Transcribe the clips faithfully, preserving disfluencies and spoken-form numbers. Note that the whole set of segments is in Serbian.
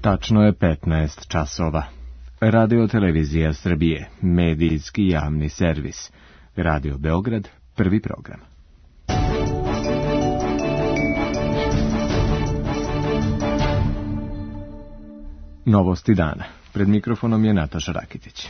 Tačno je petnaest časova. Radio Televizija Srbije, medijski javni servis. Radio Beograd, prvi program. Novosti dana. Pred mikrofonom je Nataša Rakitić.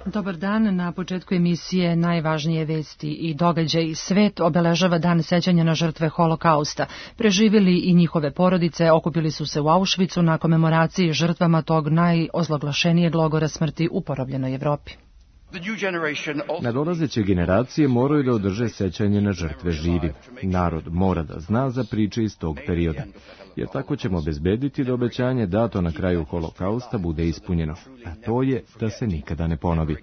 Dobar dan, na početku emisije najvažnije vesti i događaji. Svet obeležava dan sećanja na žrtve Holokausta. Preživjeli i njihove porodice okupili su se u Auschwitzu na komemoraciji žrtvama tog najozloglašenijeg logora smrti u porobljenoj Evropi. Nadolazeće generacije moraju da održe sećanje na žrtve živi. Narod mora da zna za priče iz tog perioda, jer tako ćemo obezbediti da obećanje dato na kraju Holokausta bude ispunjeno, a to je da se nikada ne ponovi.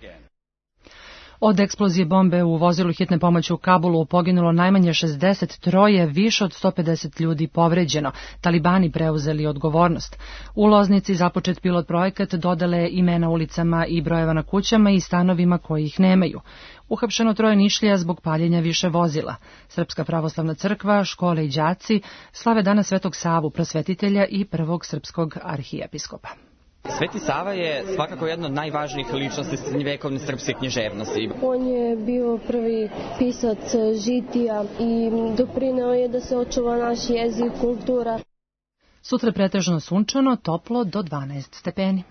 Od eksplozije bombe u vozilu hitne pomoći u Kabulu poginulo najmanje šezdeset tri, više od sto pedeset ljudi povređeno. Talibani preuzeli odgovornost. U Loznici započet pilot projekat dodale imena ulicama i brojeva na kućama i stanovima koji ih nemaju. Uhapšeno troje Nišlija zbog paljenja više vozila. Srpska pravoslavna crkva, škole i đaci slave dana Svetog Savu, prosvetitelja i prvog srpskog arhijepiskopa. Sveti Sava je svakako jedna od najvažnijih ličnosti srednjevekovne srpske književnosti. On je bio prvi pisac žitija i doprineo je da se očuva naš jezik, kultura. Sutra pretežno sunčano, toplo do dvanaest stepeni.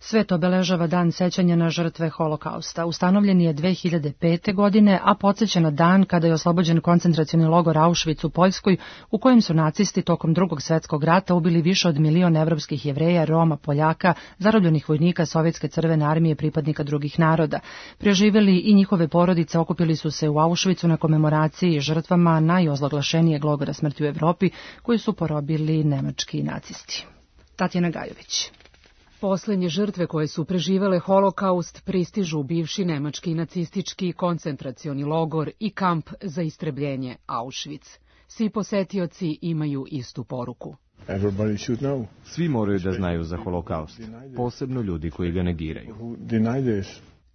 Svet obeležava dan sećanja na žrtve Holokausta. Ustanovljen je dve hiljade pete. godine, a podsjeća na dan kada je oslobođen koncentracioni logor Auschwitz u Poljskoj, u kojem su nacisti tokom Drugog svjetskog rata ubili više od milion evropskih Jevreja, Roma, Poljaka, zarobljenih vojnika Sovjetske crvene armije, pripadnika drugih naroda. Preživjeli i njihove porodice okupili su se u Auschwitzu na komemoraciji žrtvama najozloglašenijeg logora smrti u Evropi, koji su porobili nemački nacisti. Tatjana Gajović. Poslednje žrtve koje su preživele Holokaust pristižu u bivši nemački nacistički koncentracioni logor i kamp za istrebljenje Auschwitz. Svi posetioci imaju istu poruku. Svi moraju da znaju za Holokaust, posebno ljudi koji ga negiraju.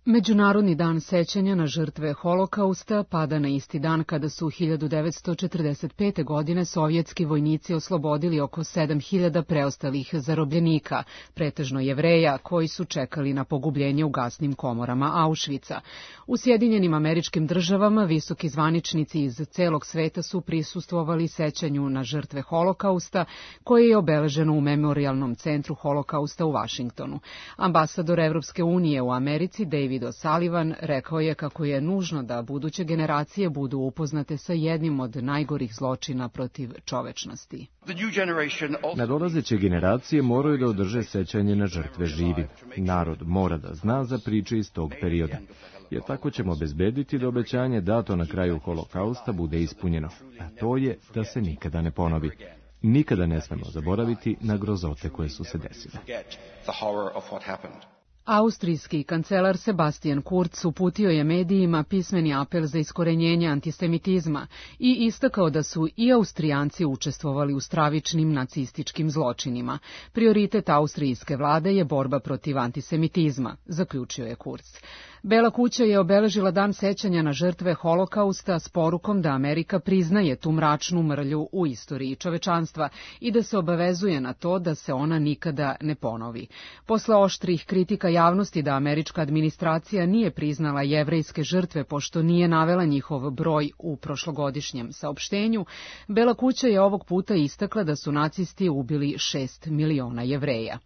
Međunarodni dan sećanja na žrtve Holokausta pada na isti dan kada su hiljadu devetsto četrdeset pete. godine sovjetski vojnici oslobodili oko sedam hiljada preostalih zarobljenika, pretežno Jevreja, koji su čekali na pogubljenje u gasnim komorama Auschwitza. U Sjedinjenim Američkim Državama visoki zvaničnici iz celog sveta su prisustvovali sećanju na žrtve Holokausta, koje je obeleženo u Memorijalnom centru Holokausta u Vašingtonu. Ambasador Evropske unije u Americi, David O'Sullivan, rekao je kako je nužno da buduće generacije budu upoznate sa jednim od najgorih zločina protiv čovečnosti. Nadolazeće generacije moraju da održe sećanje na žrtve živi. Narod mora da zna za priče iz tog perioda, jer tako ćemo obezbediti da obećanje dato na kraju Holokausta bude ispunjeno, a to je da se nikada ne ponovi. Nikada ne smemo zaboraviti na grozote koje su se desile. Austrijski kancelar Sebastian Kurz uputio je medijima pismeni apel za iskorenjenje antisemitizma i istakao da su i Austrijanci učestvovali u stravičnim nacističkim zločinima. Prioritet austrijske vlade je borba protiv antisemitizma, zaključio je Kurz. Bela kuća je obeležila dan sećanja na žrtve Holokausta s porukom da Amerika priznaje tu mračnu mrlju u istoriji čovečanstva i da se obavezuje na to da se ona nikada ne ponovi. Posle oštrih kritika javnosti da američka administracija nije priznala jevrejske žrtve pošto nije navela njihov broj u prošlogodišnjem saopštenju, Bela kuća je ovog puta istakla da su nacisti ubili šest miliona Jevreja.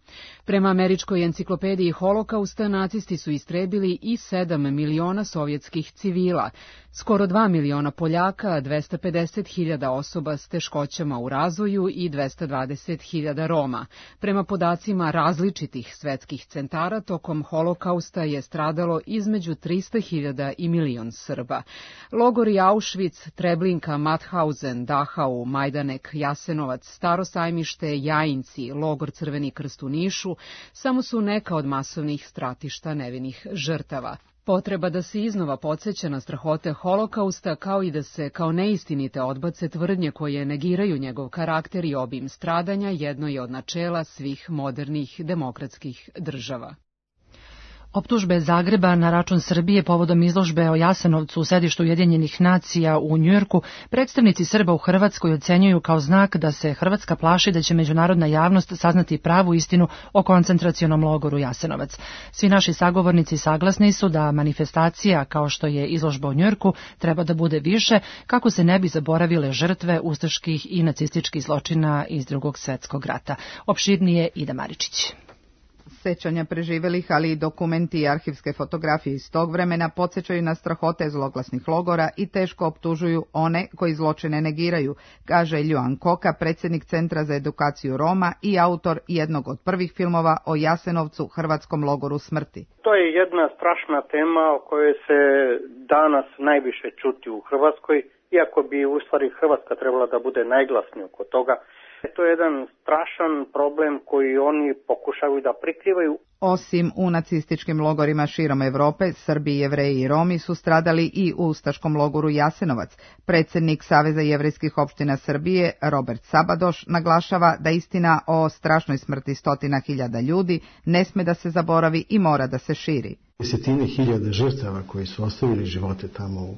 Prema američkoj enciklopediji Holokausta, nacisti su istrebili i sedam miliona sovjetskih civila, skoro dva miliona Poljaka, dvesta pedeset hiljada osoba s teškoćama u razvoju i dvesta dvadeset hiljada Roma. Prema podacima različitih svetskih centara, tokom Holokausta je stradalo između trista hiljada i milion Srba. Logori Auschwitz, Treblinka, Mauthausen, Dachau, Majdanek, Jasenovac, Staro sajmište, Jajinci, logor Crveni krst u Nišu samo su neka od masovnih stratišta nevinih žrtava. Potreba da se iznova podsjeća na strahote Holokausta, kao i da se kao neistinite odbace tvrdnje koje negiraju njegov karakter i obim stradanja, jedno je od načela svih modernih demokratskih država. Optužbe Zagreba na račun Srbije povodom izložbe o Jasenovcu u sedištu Ujedinjenih nacija u Njujorku predstavnici Srba u Hrvatskoj ocenjuju kao znak da se Hrvatska plaši da će međunarodna javnost saznati pravu istinu o koncentracionom logoru Jasenovac. Svi naši sagovornici saglasni su da manifestacija kao što je izložba u Njujorku treba da bude više kako se ne bi zaboravile žrtve ustaških i nacističkih zločina iz Drugog svjetskog rata. Opširnije Ida Maričić. Sećanja preživelih, ali i dokumenti i arhivske fotografije iz tog vremena podsjećaju na strahote zloglasnih logora i teško optužuju one koji zločine negiraju, kaže Ljuan Koka, predsjednik Centra za edukaciju Roma i autor jednog od prvih filmova o Jasenovcu, hrvatskom logoru smrti. To je jedna strašna tema o kojoj se danas najviše čuti u Hrvatskoj, iako bi u stvari Hrvatska trebala da bude najglasnija oko toga. To je jedan strašan problem koji oni pokušavaju da prikrivaju. Osim u nacističkim logorima širom Evrope, Srbi, Jevreji i Romi su stradali i u ustaškom logoru Jasenovac. Predsjednik Saveza jevrejskih opština Srbije, Robert Sabadoš, naglašava da istina o strašnoj smrti stotina hiljada ljudi ne sme da se zaboravi i mora da se širi. Desetine hiljada žrtava koji su ostavili živote tamo u,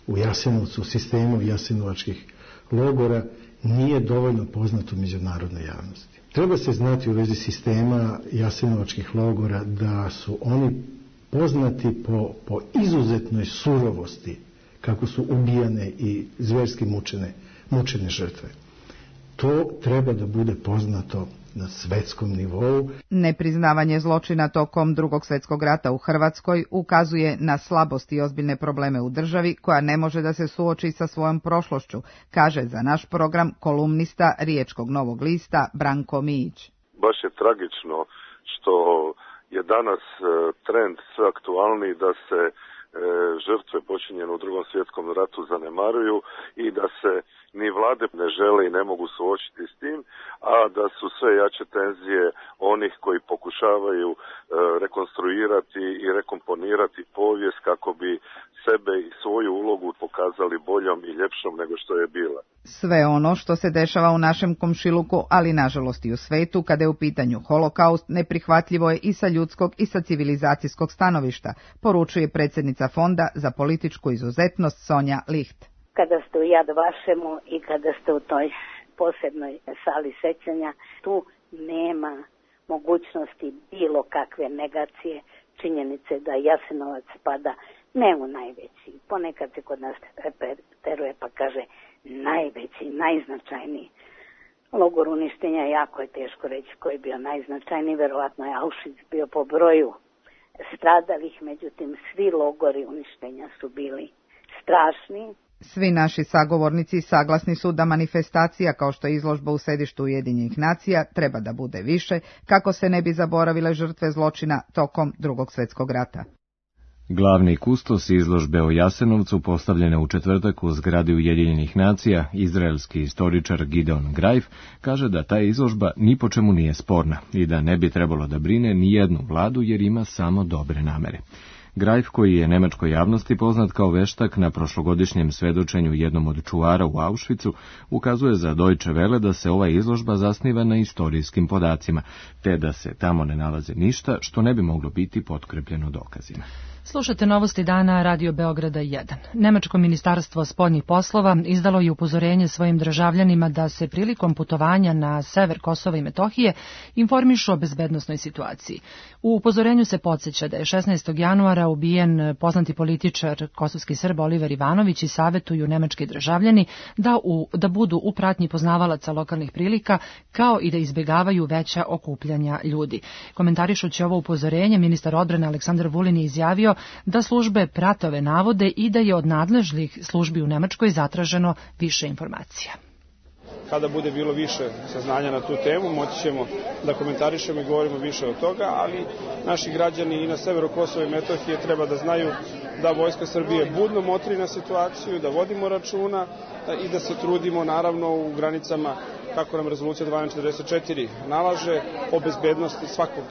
u Jasenovcu, u sistemu jasenovačkih logora, nije dovoljno poznato međunarodnoj javnosti. Treba se znati u vezi sistema jasenovačkih logora da su oni poznati po, po izuzetnoj surovosti kako su ubijane i zverski mučene, mučene žrtve. To treba da bude poznato na svetskom nivou. Nepriznavanje zločina tokom Drugog svjetskog rata u Hrvatskoj ukazuje na slabost i ozbiljne probleme u državi koja ne može da se suoči sa svojom prošlošću, kaže za naš program kolumnista Riječkog Novog lista Branko Mijić. Baš je tragično što je danas trend sve aktualniji da se žrtve počinjene u Drugom svjetskom ratu zanemaruju i da se ni vlade ne žele i ne mogu suočiti s tim, a da su sve jače tenzije onih koji pokušavaju e, rekonstruirati i rekomponirati povijest kako bi sebe i svoju ulogu pokazali boljom i ljepšom nego što je bila. Sve ono što se dešava u našem komšiluku, ali nažalost i u svetu, kada je u pitanju holokaust, neprihvatljivo je i sa ljudskog i sa civilizacijskog stanovišta, poručuje predsjednica Fonda za političku izuzetnost Sonja Licht. Kada ste u Jad Vašemu i kada ste u toj posebnoj sali sećanja, tu nema mogućnosti bilo kakve negacije činjenice da Jasenovac spada ne u najveći. Ponekad se kod nas teruje pa kaže najveći, najznačajniji logor uništenja. Jako je teško reći koji je bio najznačajniji. Verovatno je Auschwitz bio po broju stradalih, međutim svi logori uništenja su bili strašni. Svi naši sagovornici saglasni su da manifestacija kao što je izložba u sedištu Ujedinjenih nacija treba da bude više kako se ne bi zaboravile žrtve zločina tokom Drugog svjetskog rata. Glavni kustos izložbe o Jasenovcu postavljene u četvrtak u zgradi Ujedinjenih nacija, izraelski istoričar Gideon Greif, kaže da ta izložba ni po čemu nije sporna i da ne bi trebalo da brine ni jednu vladu jer ima samo dobre namere. Greif, koji je nemačkoj javnosti poznat kao veštak na prošlogodišnjem svedočenju jednom od čuvara u Auschwitzu, ukazuje za Deutsche Welle da se ova izložba zasniva na istorijskim podacima, te da se tamo ne nalaze ništa što ne bi moglo biti potkrepljeno dokazima. Slušate novosti dana Radio Beograda jedan. Nemačko ministarstvo spoljnih poslova izdalo je upozorenje svojim državljanima da se prilikom putovanja na sever Kosova i Metohije informišu o bezbednosnoj situaciji. U upozorenju se podsjeća da je šesnaestog januara ubijen poznati političar kosovski Srb Oliver Ivanović i savetuju nemački državljani da, u, da budu u pratnji poznavalaca lokalnih prilika kao i da izbjegavaju veća okupljanja ljudi. Komentarišući ovo upozorenje, ministar odbrane Aleksandar Vulin je izjavio da službe prate ove navode i da je od nadležnih službi u Nemačkoj zatraženo više informacija. Kada bude bilo više saznanja na tu temu, moći ćemo da komentarišemo i govorimo više od toga, ali naši građani i na severu Kosova i Metohije treba da znaju da Vojska Srbije budno motri na situaciju, da vodimo računa i da se trudimo naravno u granicama kako nam rezolucija dvanaest četrdeset četiri nalaže o bezbednosti svakog,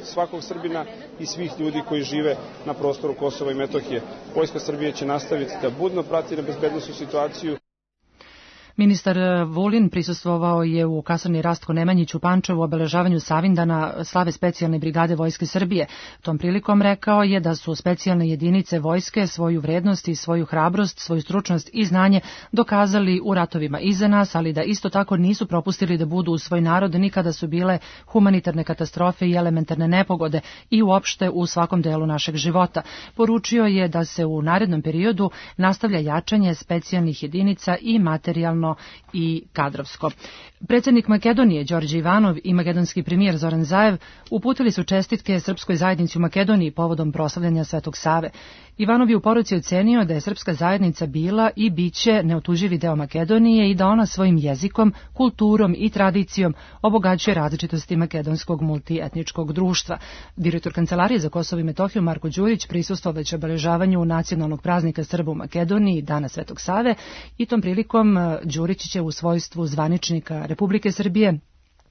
svakog Srbina i svih ljudi koji žive na prostoru Kosova i Metohije. Vojska Srbije će nastaviti da budno prati na bezbednosnu situaciju. Ministar Vulin prisustvovao je u kasarni Rastko Nemanjić u Pančevu obeležavanju Savindana slave specijalne brigade Vojske Srbije. Tom prilikom rekao je da su specijalne jedinice vojske svoju vrednost i svoju hrabrost, svoju stručnost i znanje dokazali u ratovima iza nas, ali da isto tako nisu propustili da budu u svoj narod ni kada su bile humanitarne katastrofe i elementarne nepogode i uopšte u svakom delu našeg života. Poručio je da se u narednom periodu nastavlja jačanje specijalnih jedinica i materijalno i kadrovsko. Predsjednik Makedonije Đorđe Ivanov i makedonski premijer Zoran Zaev uputili su čestitke srpskoj zajednici u Makedoniji povodom proslavljanja Svetog Save. Ivanov je u poruci ocenio da je srpska zajednica bila i biće neotuživi deo Makedonije i da ona svojim jezikom, kulturom i tradicijom obogaćuje različitosti makedonskog multietničkog društva. Direktor Kancelarije za Kosovo i Metohiju Marko Đurić prisustvovaće obeležavanju nacionalnog praznika Srba u Makedoniji, Dana Svetog Save, i tom prilikom Đurić će u svojstvu zvaničnika Republike Srbije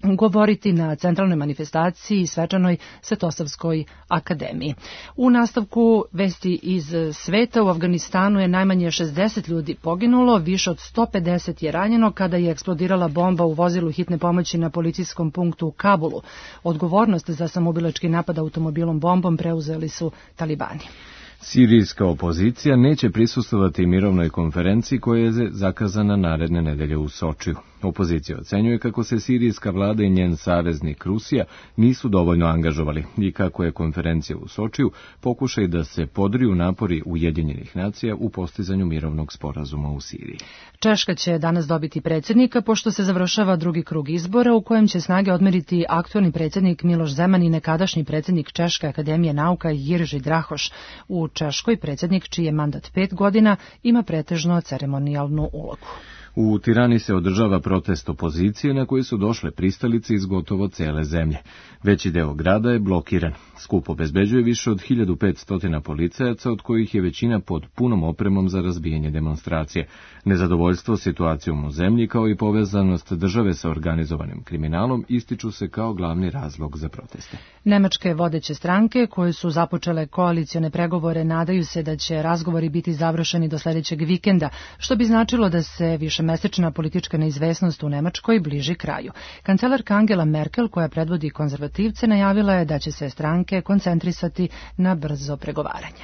govoriti na centralnoj manifestaciji i svečanoj Svetosavskoj akademiji. U nastavku vesti iz sveta, u Afganistanu je najmanje šezdeset ljudi poginulo, više od sto pedeset je ranjeno kada je eksplodirala bomba u vozilu hitne pomoći na policijskom punktu u Kabulu. Odgovornost za samoubilački napad automobilom bombom preuzeli su talibani. Sirijska opozicija neće prisustvovati mirovnoj konferenciji koja je zakazana naredne nedelje u Sočiju. Opozicija ocenjuje kako se sirijska vlada i njen saveznik Rusija nisu dovoljno angažovali i kako je konferencija u Sočiju pokušaj da se podriju napori Ujedinjenih nacija u postizanju mirovnog sporazuma u Siriji. Češka će danas dobiti predsjednika, pošto se završava drugi krug izbora u kojem će snage odmeriti aktualni predsjednik Miloš Zeman i nekadašnji predsjednik Češke akademije nauka Jirži Drahoš. U Češkoj predsjednik, čiji je mandat pet godina, ima pretežno ceremonijalnu ulogu. U Tirani se održava protest opozicije na koji su došle pristalice iz gotovo cele zemlje. Veći deo grada je blokiran. Skup obezbeđuje više od hiljadu petsto policajaca, od kojih je većina pod punom opremom za razbijanje demonstracije. Nezadovoljstvo situacijom u zemlji kao i povezanost države sa organizovanim kriminalom ističu se kao glavni razlog za proteste. Nemačke vodeće stranke koje su započele koalicione pregovore nadaju se da će razgovori biti završeni do sljedećeg vikenda, što bi značilo da se višemesečna politička neizvesnost u Nemačkoj bliži kraju. Kancelarka Angela Merkel, koja predvodi konzervativce, najavila je da će se stranke koncentrisati na brzo pregovaranje.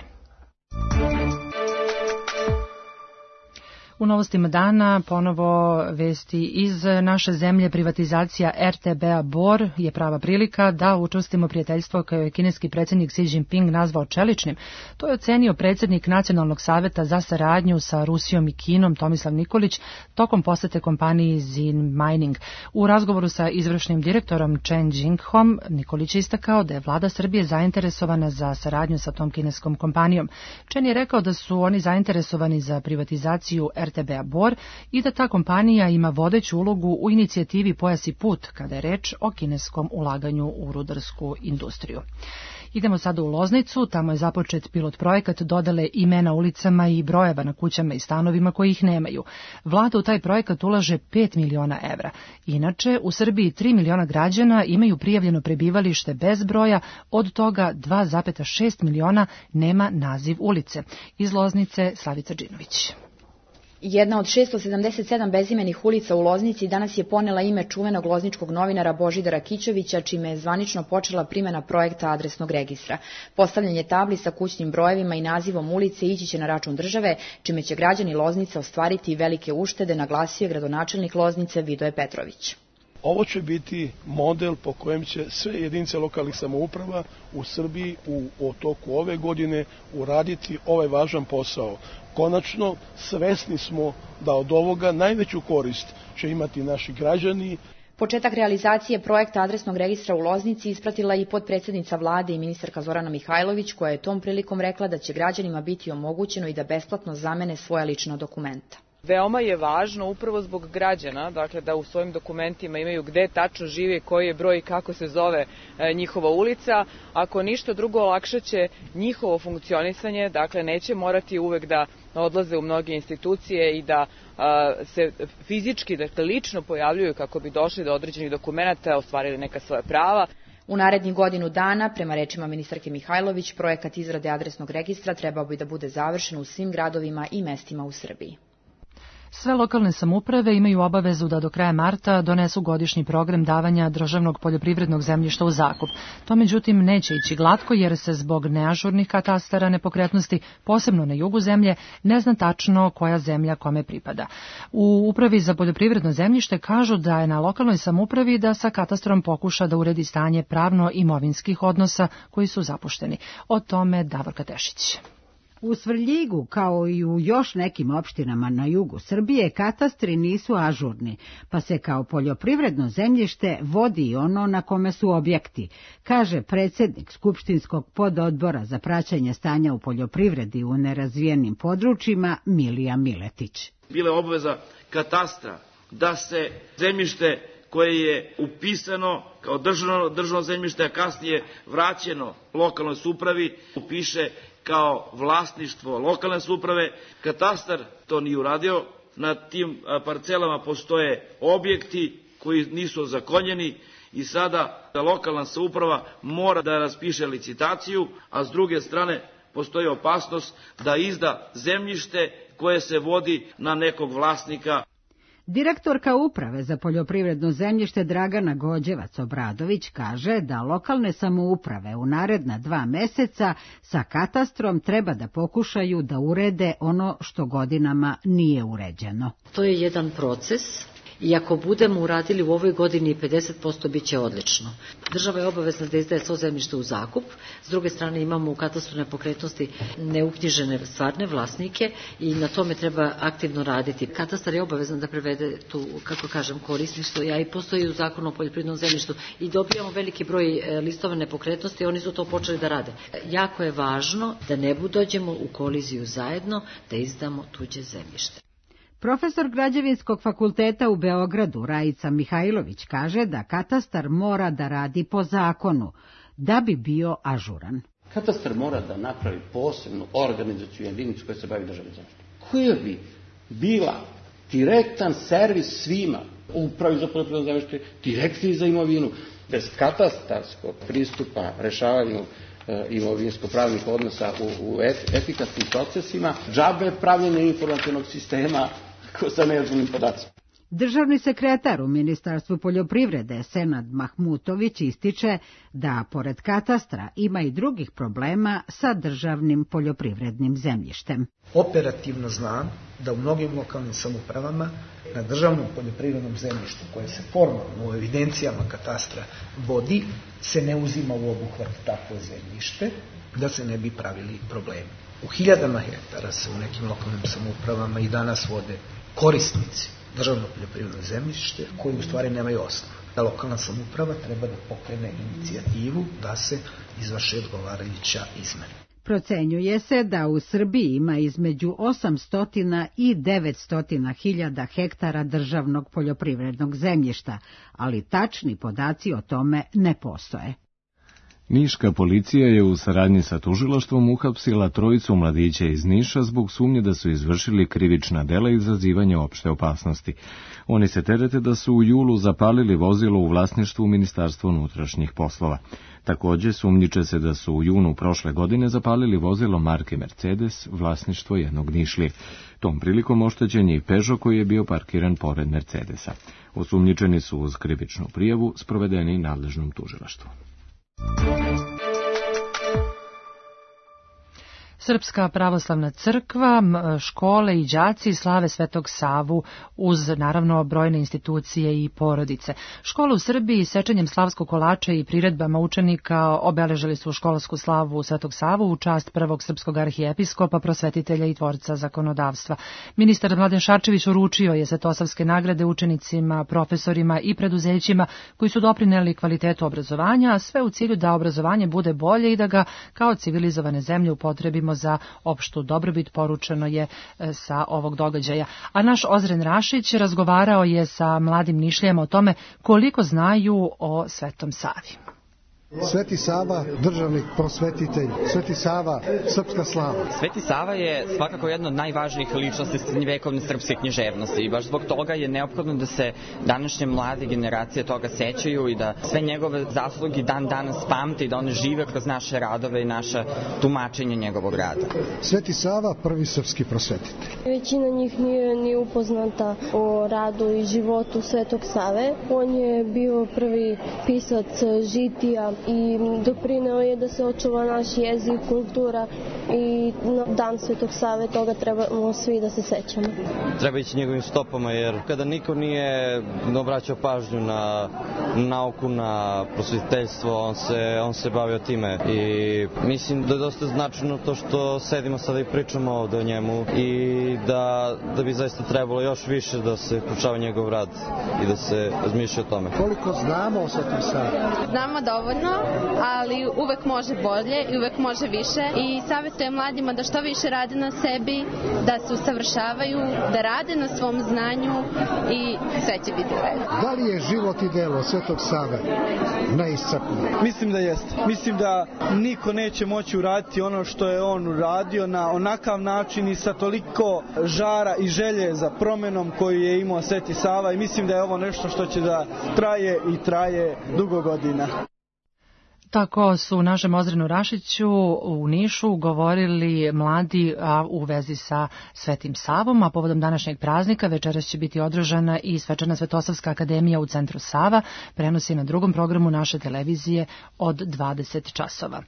U novostima dana ponovo vesti iz naše zemlje. Privatizacija er te be-a Bor je prava prilika da učvrstimo prijateljstvo koje je kineski predsjednik Xi Jinping nazvao čeličnim. To je ocenio predsjednik Nacionalnog saveta za saradnju sa Rusijom i Kinom Tomislav Nikolić tokom posete kompaniji Zin Mining. U razgovoru sa izvršnim direktorom Chen Jinghom Nikolić je istakao da je vlada Srbije zainteresovana za saradnju sa tom kineskom kompanijom. Chen je rekao da su oni zainteresovani za privatizaciju er te be-a Bor i da ta kompanija ima vodeću ulogu u inicijativi Pojas i put kada je reč o kineskom ulaganju u rudarsku industriju. Idemo sada u Loznicu, tamo je započet pilot projekat dodele imena ulicama i brojeva na kućama i stanovima koji ih nemaju. Vlada u taj projekat ulaže pet miliona evra. Inače, u Srbiji tri miliona građana imaju prijavljeno prebivalište bez broja, od toga dva zarez šest miliona nema naziv ulice. Iz Loznice Slavica Đinović. Jedna od šesto sedamdeset sedam bezimenih ulica u Loznici danas je ponela ime čuvenog lozničkog novinara Božidara Kićevića, čime je zvanično počela primjena projekta adresnog registra. Postavljanje tabli sa kućnim brojevima i nazivom ulice ići će na račun države, čime će građani Loznice ostvariti velike uštede, naglasio je gradonačelnik Loznice Vidoje Petrović. Ovo će biti model po kojem će sve jedinice lokalnih samouprava u Srbiji u toku ove godine uraditi ovaj važan posao. Konačno, svesni smo da od ovoga najveću korist će imati naši građani. Početak realizacije projekta adresnog registra u Loznici ispratila i potpredsjednica vlade i ministarka Zorana Mihajlović, koja je tom prilikom rekla da će građanima biti omogućeno i da besplatno zamene svoja lična dokumenta. Veoma je važno upravo zbog građana, dakle da u svojim dokumentima imaju gde tačno žive, koji je broj i kako se zove e, njihova ulica. Ako ništa drugo, olakšaće njihovo funkcionisanje, dakle neće morati uvek da odlaze u mnoge institucije i da a, se fizički, dakle lično pojavljuju kako bi došli do određenih dokumenata, ostvarili neka svoja prava. U narednih godinu dana, prema rečima ministarke Mihajlović, projekat izrade adresnog registra trebao bi da bude završen u svim gradovima i mestima u Srbiji. Sve lokalne samouprave imaju obavezu da do kraja marta donesu godišnji program davanja državnog poljoprivrednog zemljišta u zakup. To međutim neće ići glatko jer se zbog neažurnih katastara nepokretnosti, posebno na jugu zemlje, ne zna tačno koja zemlja kome pripada. U Upravi za poljoprivredno zemljište kažu da je na lokalnoj samoupravi da sa katastrom pokuša da uredi stanje pravno-imovinskih odnosa koji su zapušteni. O tome Davorka Tešić. U Svrljigu, kao i u još nekim opštinama na jugu Srbije, katastri nisu ažurni, pa se kao poljoprivredno zemljište vodi i ono na kome su objekti, kaže predsjednik Skupštinskog pododbora za praćenje stanja u poljoprivredi u nerazvijenim područjima Milija Miletić. Bila je obaveza katastra da se zemljište koje je upisano kao državno, državno zemljište, a kasnije vraćeno lokalnoj samoupravi, upiše kao vlasništvo lokalne samouprave. Katastar to nije uradio. Na tim parcelama postoje objekti koji nisu ozakonjeni i sada lokalna samouprava mora da raspiše licitaciju, a s druge strane postoji opasnost da izda zemljište koje se vodi na nekog vlasnika. Direktorka Uprave za poljoprivredno zemljište Dragana Gođevac-Obradović kaže da lokalne samouprave u naredna dva meseca sa katastrom treba da pokušaju da urede ono što godinama nije uređeno. To je jedan proces. I ako budemo uradili u ovoj godini pedeset posto bit će odlično. Država je obavezna da izdaje svo zemljište u zakup, s druge strane imamo u katastru nepokretnosti neuknjižene stvarne vlasnike i na tome treba aktivno raditi. Katastar je obavezan da prevede tu, kako kažem, korisništvo, a i postoji u zakonu o poljoprivrednom zemljištu i dobijamo veliki broj listova nepokretnosti i oni su to počeli da rade. Jako je važno da ne dođemo u koliziju zajedno, da izdamo tuđe zemljište. Profesor Građevinskog fakulteta u Beogradu Rajica Mihajlović kaže da katastar mora da radi po zakonu, da bi bio ažuran. Katastar mora da napravi posebnu organizacijnu jedinicu koja se bavi državnim zemljištem, koja bi bila direktan servis svima, upravi za poljoprivredno zemljište, direktni za imovinu, bez katastarskog pristupa rešavanju imovinsko-pravnih odnosa u, u efikasnim procesima, džabe pravljenje informacionog sistema sa neažurnim podacima. Državni sekretar u Ministarstvu poljoprivrede Senad Mahmutović ističe da, pored katastra, ima i drugih problema sa državnim poljoprivrednim zemljištem. Operativno znam da u mnogim lokalnim samoupravama na državnom poljoprivrednom zemljištu koje se formalno u evidencijama katastra vodi, se ne uzima u obuhvat takvo zemljište, da se ne bi pravili problemi. U hiljadama hektara se u nekim lokalnim samoupravama i danas vode korisnici državno poljoprivredno zemljište koji u stvari nemaju osnov. Da lokalna samouprava treba da pokrene inicijativu da se izvrše odgovarajuća izmena. Procenjuje se da u Srbiji ima između osamsto i devetsto hiljada hektara državnog poljoprivrednog zemljišta, ali tačni podaci o tome ne postoje. Niška policija je u saradnji sa tužilaštvom uhapsila trojicu mladića iz Niša zbog sumnje da su izvršili krivična dela i izazivanja opšte opasnosti. Oni se terete da su u julu zapalili vozilo u vlasništvu Ministarstva unutrašnjih poslova. Takođe, sumnjiče se da su u junu prošle godine zapalili vozilo marke Mercedes, vlasništvo jednog Nišlije. Tom prilikom oštećen je i Peugeot koji je bio parkiran pored Mercedesa. Osumnjičeni su uz krivičnu prijavu sprovedeni nadležnom tužilaštvu. Srpska pravoslavna crkva, škole i đaci slave Svetog Savu uz, naravno, brojne institucije i porodice. Škole u Srbiji sečenjem slavskog kolača i priredbama učenika obeležili su školsku slavu Svetog Savu u čast prvog srpskog arhijepiskopa, prosvetitelja i tvorca zakonodavstva. Ministar Mladen Šarčević uručio je svetosavske nagrade učenicima, profesorima i preduzećima koji su doprineli kvalitetu obrazovanja, a sve u cilju da obrazovanje bude bolje i da ga kao civilizovane zemlje upotrebimo za opštu dobrobit, poručeno je sa ovog događaja. A naš Ozren Rašić razgovarao je sa mladim Nišlijama o tome koliko znaju o Svetom Savi. Sveti Sava, državnik, prosvetitelj, Sveti Sava, srpska slava. Sveti Sava je svakako jedna od najvažnijih ličnosti srednjevekovne srpske književnosti i baš zbog toga je neophodno da se današnje mlade generacije toga sećaju i da sve njegove zasluge dan danas pamte i da one žive kroz naše radove i naša tumačenja njegovog rada. Sveti Sava, prvi srpski prosvetitelj. Većina njih nije ni upoznata o radu i životu Svetog Save. On je bio prvi pisac žitija i doprineo je da se očuva naš jezik, kultura i na dan Svetog Save toga trebamo svi da se sećamo. Treba ići njegovim stopama jer kada niko nije obraćao pažnju na nauku, na prosvetiteljstvo, on se, on se bavio time i mislim da je dosta značajno to što sedimo sada i pričamo ovde o njemu i da, da bi zaista trebalo još više da se proučava njegov rad i da se razmišlja o tome. Koliko znamo o Svetom Savi? Znamo dovoljno, ali uvek može bolje i uvek može više i savjetujem mladima da što više rade na sebi, da se usavršavaju, da rade na svom znanju i sve će biti u redu. Da li je život i delo Svetog Save neiscrpno? Mislim da jeste. Mislim da niko neće moći uraditi ono što je on uradio na onakav način i sa toliko žara i želje za promenom koju je imao Sveti Sava i mislim da je ovo nešto što će da traje i traje dugo godina. Tako su u našem Ozrenu Rašiću u Nišu govorili mladi a, u vezi sa Svetim Savom, a povodom današnjeg praznika večeras će biti održana i Svečana Svetosavska akademija u centru Sava, prenosi na drugom programu naše televizije od dvadeset časova.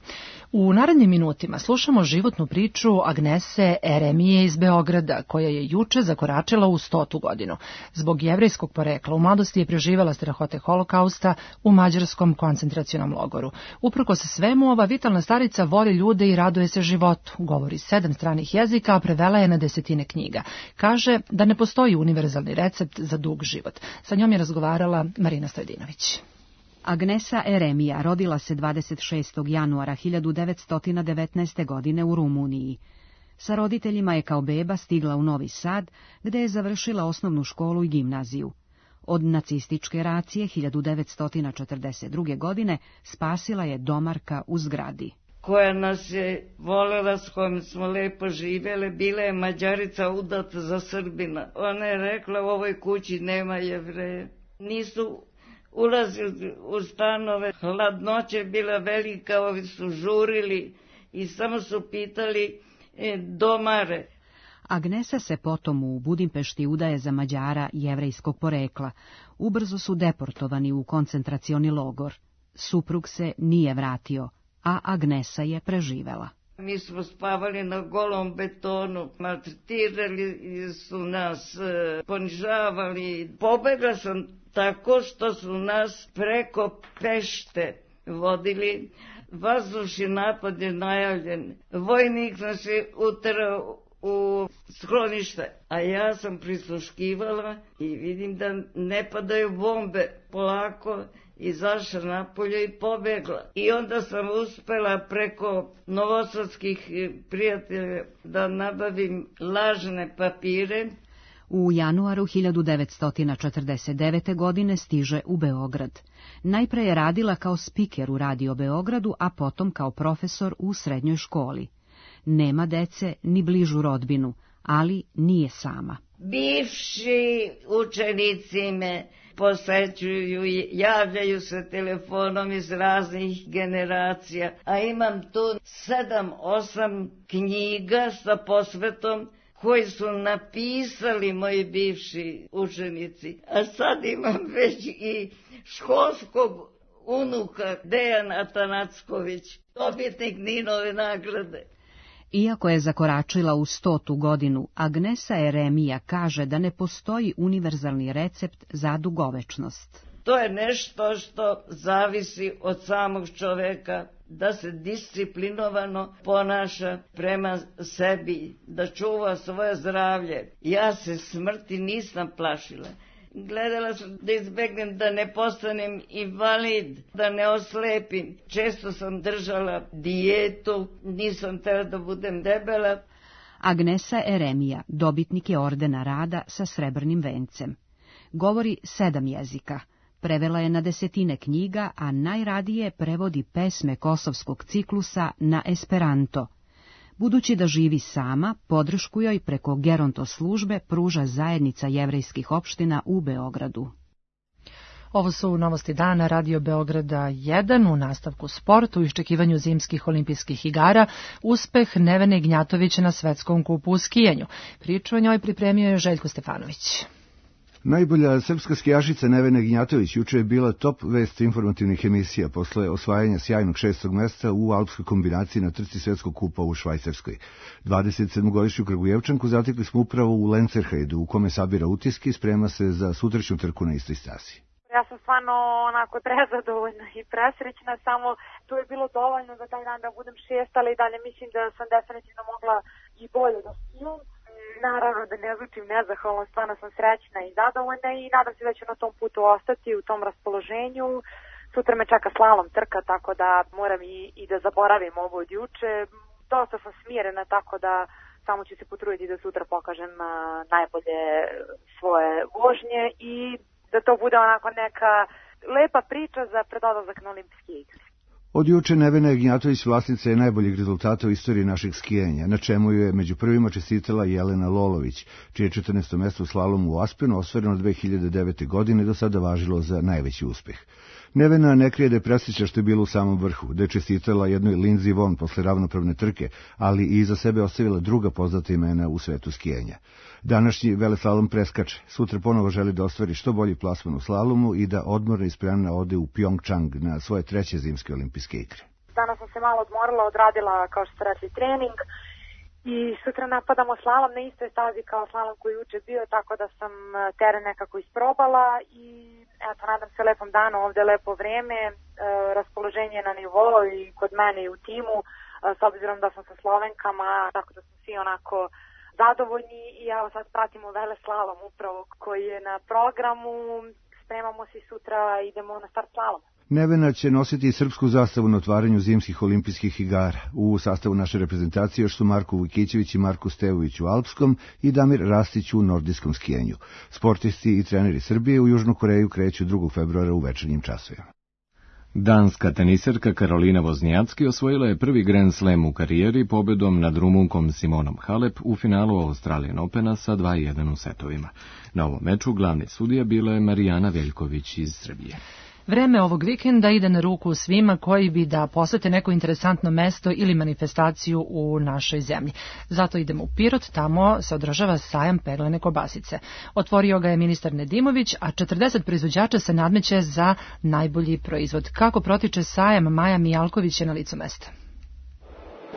U narednim minutima slušamo životnu priču Agnese Eremije iz Beograda, koja je juče zakoračila u stotu godinu. Zbog jevrejskog porekla u mladosti je preživela strahote holokausta u mađarskom koncentracionom logoru. Uprkos svemu, ova vitalna starica voli ljude i raduje se životu. Govori sedam stranih jezika, a prevela je na desetine knjiga. Kaže da ne postoji univerzalni recept za dug život. Sa njom je razgovarala Marina Stojdinović. Agnesa Eremija rodila se dvadeset šestog januara hiljadu devetsto devetnaeste. godine u Rumuniji. Sa roditeljima je kao beba stigla u Novi Sad, gde je završila osnovnu školu i gimnaziju. Od nacističke racije hiljadu devetsto četrdeset druge. godine spasila je domarka u zgradi. Koja nas je volela, s kojom smo lepo živjeli, bila je Mađarica udata za Srbina. Ona je rekla u ovoj kući nema Jevreja. Nisu ulazili u stanove, hladnoća je bila velika, ovi su žurili i samo su pitali e, domare. Agnesa se potom u Budimpešti udaje za Mađara jevrejskog porekla. Ubrzo su deportovani u koncentracioni logor. Suprug se nije vratio, a Agnesa je preživela. Mi smo spavali na golom betonu, maltretirali su nas, ponižavali. Pobegla sam tako što su nas preko Pešte vodili. Vazdušni napad je najavljen. Vojnik nas je uterao u sklonište, a ja sam prisluškivala i vidim da ne padaju bombe. Polako izašla napolje i pobegla. I onda sam uspela preko novosadskih prijatelja da nabavim lažne papire. U januaru hiljadu devetsto četrdeset devete. godine stiže u Beograd. Najpre je radila kao spiker u Radio Beogradu, a potom kao profesor u srednjoj školi. Nema dece ni bližu rodbinu, ali nije sama. Bivši učenici me posećuju, javljaju se telefonom iz raznih generacija, a imam tu sedam, osam knjiga sa posvetom koji su napisali moji bivši učenici. A sad imam već i školskog unuka Dejan Atanacković, dobitnik Ninove nagrade. Iako je zakoračila u stotu godinu, Agnesa Eremija kaže da ne postoji univerzalni recept za dugovečnost. To je nešto što zavisi od samog čoveka, da se disciplinovano ponaša prema sebi, da čuva svoje zdravlje. Ja se smrti nisam plašila. Gledala sam da izbegnem da ne postanem invalid, da ne oslepim. Često sam držala dijetu, nisam htjela da budem debela. Agnesa Eremija dobitnik je ordena rada sa srebrnim vencem. Govori sedam jezika. Prevela je na desetine knjiga, a najradije prevodi pesme kosovskog ciklusa na esperanto. Budući da živi sama, podršku joj preko geronto službe pruža zajednica jevrejskih opština u Beogradu. Ovo su novosti dana Radio Beograda jedan. U nastavku sportu, u iščekivanju zimskih olimpijskih igara, uspeh Nevene Ignjatović na svetskom kupu u skijanju. Priču o njoj pripremio je Željko Stefanović. Najbolja srpska skijašica Nevena Ignjatović juče je bila top vest informativnih emisija posle osvajanja sjajnog šestog mesta u alpskoj kombinaciji na trci svetskog kupa u Švajcarskoj. dvadeset sedmogodišnju Kragujevčanku zatekli smo upravo u Lencerhejdu, u kome sabira utiske i sprema se za sutrašnju trku na istoj stasi. Ja sam stvarno onako prezadovoljna i presrećna, samo to je bilo dovoljno za taj dan da budem šesta, ali dalje mislim da sam definitivno mogla i bolje da skijam. Naravno da ne zvučim nezahvalno, stvarno sam srećna i zadovoljna i nadam se da ću na tom putu ostati, u tom raspoloženju. Sutra me čeka slalom trka, tako da moram i, i da zaboravim ovo od juče. Dosta sam smirena, tako da samo ću se potruditi da sutra pokažem uh, najbolje svoje vožnje i da to bude onako neka lepa priča za predodlazak na olimpijske igre. Od juče Nevena Ignjatović vlasnica je najboljeg rezultata u istoriji našeg skijanja, na čemu je među prvima čestitala Jelena Lolović, čije četrnaesto mesto u slalomu u Aspenu ostvareno dve hiljade devete. godine do sada važilo za najveći uspeh. Nevena ne krije da je presrećna što je bila u samom vrhu, da je čestitala jednoj Lindsey Vonn posle ravnopravne trke, ali i iza sebe ostavila druga poznata imena u svetu skijanja. Današnji veleslalom preskače, sutra ponovo želi da ostvari što bolji plasman u slalomu i da odmorna i spremna ode u Pyeongchang na svoje treće zimske olimpijske igre. Danas sam se malo odmorila, odradila, kao što ste rekli, trening i sutra napadamo slalom na istoj stazi kao slalom koji juče bio, tako da sam teren nekako isprobala i eto, nadam se lepom danu, ovde je lepo vreme, e, raspoloženje na nivou i kod mene i u timu, e, s obzirom da sam sa Slovenkama, tako da smo svi onako zadovoljni i evo sad pratimo veleslalom upravo koji je na programu, spremamo se sutra, idemo na start slalom. Nevena će nositi i srpsku zastavu na otvaranju zimskih olimpijskih igara. U sastavu naše reprezentacije još su Marko Vujkićević i Marko Stevović u alpskom i Damir Rastić u nordijskom skijenju. Sportisti i treneri Srbije u Južnu Koreju kreću drugog februara u večernjim časovima. Danska teniserka Karolina Voznjacki osvojila je prvi Grand Slam u karijeri pobedom nad Rumunkom Simonom Halep u finalu Australian Opena sa dva jedan u setovima. Na ovom meču glavni sudija bila je Marijana Veljković iz Srbije. Vreme ovog vikenda ide na ruku svima koji bi da posete neko interesantno mesto ili manifestaciju u našoj zemlji. Zato idemo u Pirot, tamo se održava sajam peglane kobasice. Otvorio ga je ministar Nedimović, a četrdeset proizvođača se nadmeće za najbolji proizvod. Kako protiče sajam, Maja Mijalković je na licu mesta.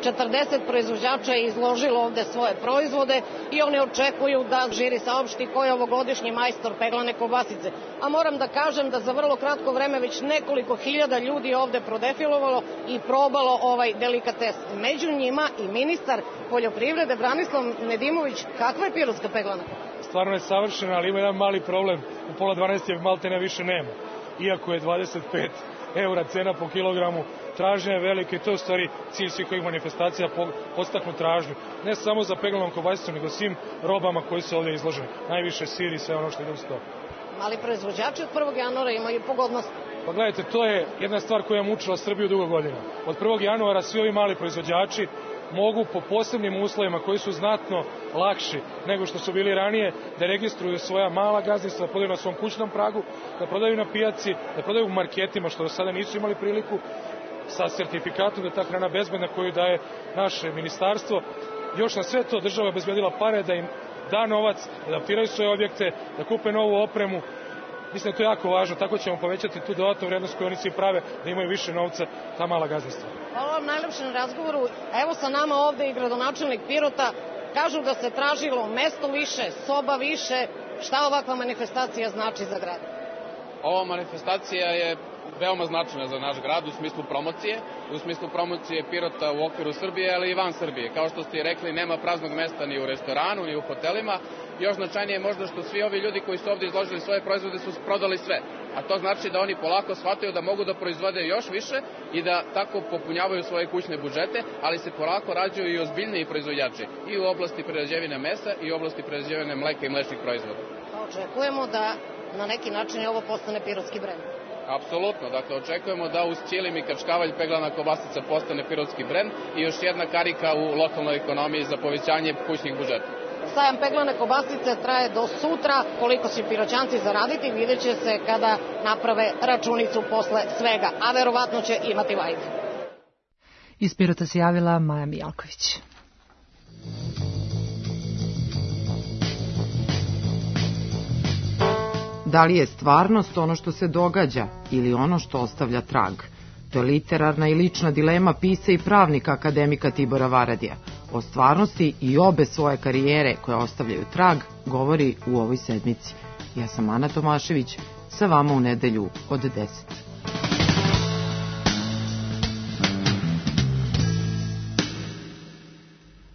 četrdeset proizvođača je izložilo ovde svoje proizvode i oni očekuju da žiri saopšti ko je ovogodišnji majstor peglane kobasice. A moram da kažem da za vrlo kratko vreme već nekoliko hiljada ljudi ovde prodefilovalo i probalo ovaj delikates. Među njima i ministar poljoprivrede Branislav Nedimović. Kakva je pirotska peglana? Stvarno je savršena, ali ima jedan mali problem. U pola dvanaest je maltene više nema. Iako je dvadeset pet eura cena po kilogramu, tražnja je velika i to je u stvari cilj svih ovih manifestacija, podstaknu tražnju. Ne samo za peglanom kobasicom, nego svim robama koji su ovdje izložene. Najviše sir i sve ono što ide uz to. Mali proizvođači od prvog januara imaju pogodnost. Pa gledajte, to je jedna stvar koja je mučila Srbiju dugo godina. Od prvog januara svi ovi mali proizvođači mogu po posebnim uslovima koji su znatno lakši nego što su bili ranije da registruju svoja mala gazdinstva, da prodaju na svom kućnom pragu, da prodaju na pijaci, da prodaju u marketima što do sada nisu imali priliku, sa sertifikatom da je ta hrana bezbedna koju daje naše ministarstvo. Još na sve to država je obezbedila pare da im da novac, da adaptiraju svoje objekte, da kupe novu opremu. Mislim da to je jako važno, tako ćemo povećati tu dodatnu vrednost koju oni svi prave, da imaju više novca ta mala gazdinstva. Hvala vam najlepše na razgovoru. Evo sa nama ovde i gradonačelnik Pirota. Kažu da se tražilo mesto više, soba više. Šta ovakva manifestacija znači za grad? Ova manifestacija je veoma značajna za naš grad u smislu promocije, u smislu promocije Pirota u okviru Srbije, ali i van Srbije. Kao što ste i rekli, nema praznog mesta ni u restoranu, ni u hotelima. Još značajnije je možda što svi ovi ljudi koji su ovdje izložili svoje proizvode su prodali sve. A to znači da oni polako shvataju da mogu da proizvode još više i da tako popunjavaju svoje kućne budžete, ali se polako rađaju i ozbiljniji proizvođači i u oblasti prerađevine mesa i u oblasti prerađevine mleka i mlečnih proizvoda. Očekujemo da na neki način ovo postane pirotski brend. Apsolutno, dakle očekujemo da uz ćilim i kačkavalj peglana kobasica postane pirotski brend i još jedna karika u lokalnoj ekonomiji za povećanje kućnih budžeta. Sajam peglane kobasice traje do sutra, koliko će piroćanci zaraditi vidjet će se kada naprave računicu posle svega, a verovatno će imati vajde. Iz Pirota se javila Maja Mijalković. Da li je stvarnost ono što se događa ili ono što ostavlja trag? To je literarna i lična dilema pisca i pravnika akademika Tibora Varadija. O stvarnosti i obe svoje karijere koje ostavljaju trag govori u ovoj sedmici. Ja sam Ana Tomašević, sa vama u nedelju od deset.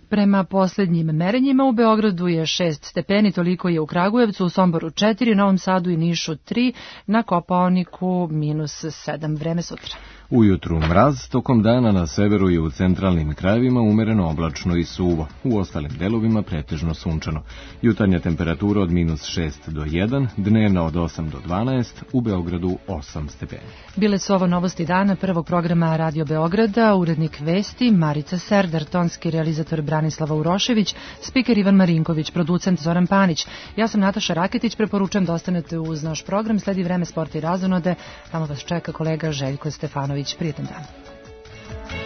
Prema posljednjim merenjima u Beogradu je šest stepeni, toliko je u Kragujevcu, u Somboru četiri, Novom Sadu i Nišu tri, na Kopaoniku minus sedam. Vreme sutra. Ujutru mraz, tokom dana na severu i u centralnim krajevima umereno oblačno i suvo, u ostalim delovima pretežno sunčano. Jutarnja temperatura od minus šest do jedan, dnevna od osam do dvanaest, u Beogradu osam stepeni. Bile su ovo novosti dana prvog programa Radio Beograda, urednik vesti Marica Serdar, tonski realizator Branislava Urošević, spiker Ivan Marinković, producent Zoran Panić. Ja sam Nataša Raketić, preporučujem da ostanete uz naš program, sledi vreme sporta i razonode, tamo vas čeka kolega Željko Stefanović. Prijetan dan.